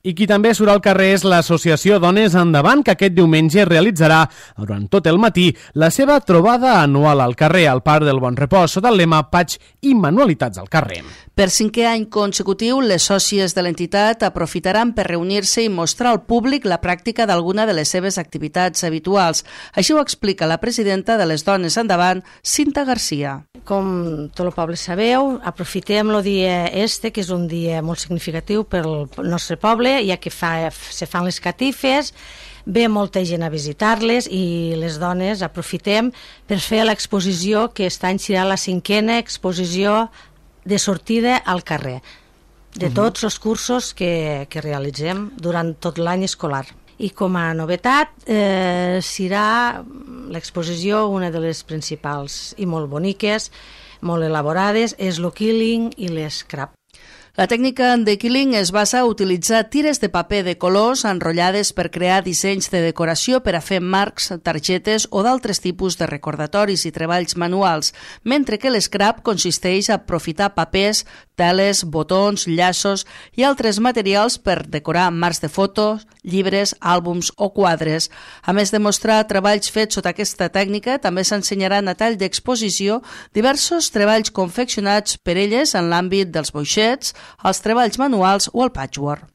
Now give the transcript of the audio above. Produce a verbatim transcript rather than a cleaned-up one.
I qui també surt al carrer és l'associació Dones Endavant, que aquest diumenge realitzarà durant tot el matí la seva trobada anual al carrer, al Parc del Bon Repòs, sota el lema Patx i Manualitats al carrer. Per cinquè any consecutiu, les sòcies de l'entitat aprofitaran per reunir-se i mostrar al públic la pràctica d'alguna de les seves activitats habituals. Així ho explica la presidenta de les Dones Endavant, Cinta Garcia. Com tot el poble sabeu, aprofitem el dia este, que és un dia molt significatiu pel nostre poble, ja que fa, se fan les catifes, ve molta gent a visitar-les i les dones aprofitem per fer l'exposició, que aquest any serà la cinquena exposició de sortida al carrer, de tots els cursos que, que realitzem durant tot l'any escolar. I com a novetat eh, serà l'exposició, una de les principals i molt boniques, molt elaborades, és el quilling i l'escrap. La tècnica de quilling es basa a utilitzar tires de paper de colors enrotllades per crear dissenys de decoració per a fer marcs, targetes o d'altres tipus de recordatoris i treballs manuals, mentre que l'escrap consisteix a aprofitar papers, teles, botons, llaços i altres materials per decorar marcs de fotos, llibres, àlbums o quadres. A més de mostrar treballs fets sota aquesta tècnica, també s'ensenyaran a tall d'exposició diversos treballs confeccionats per elles en l'àmbit dels boixets, els treballs manuals o el patchwork.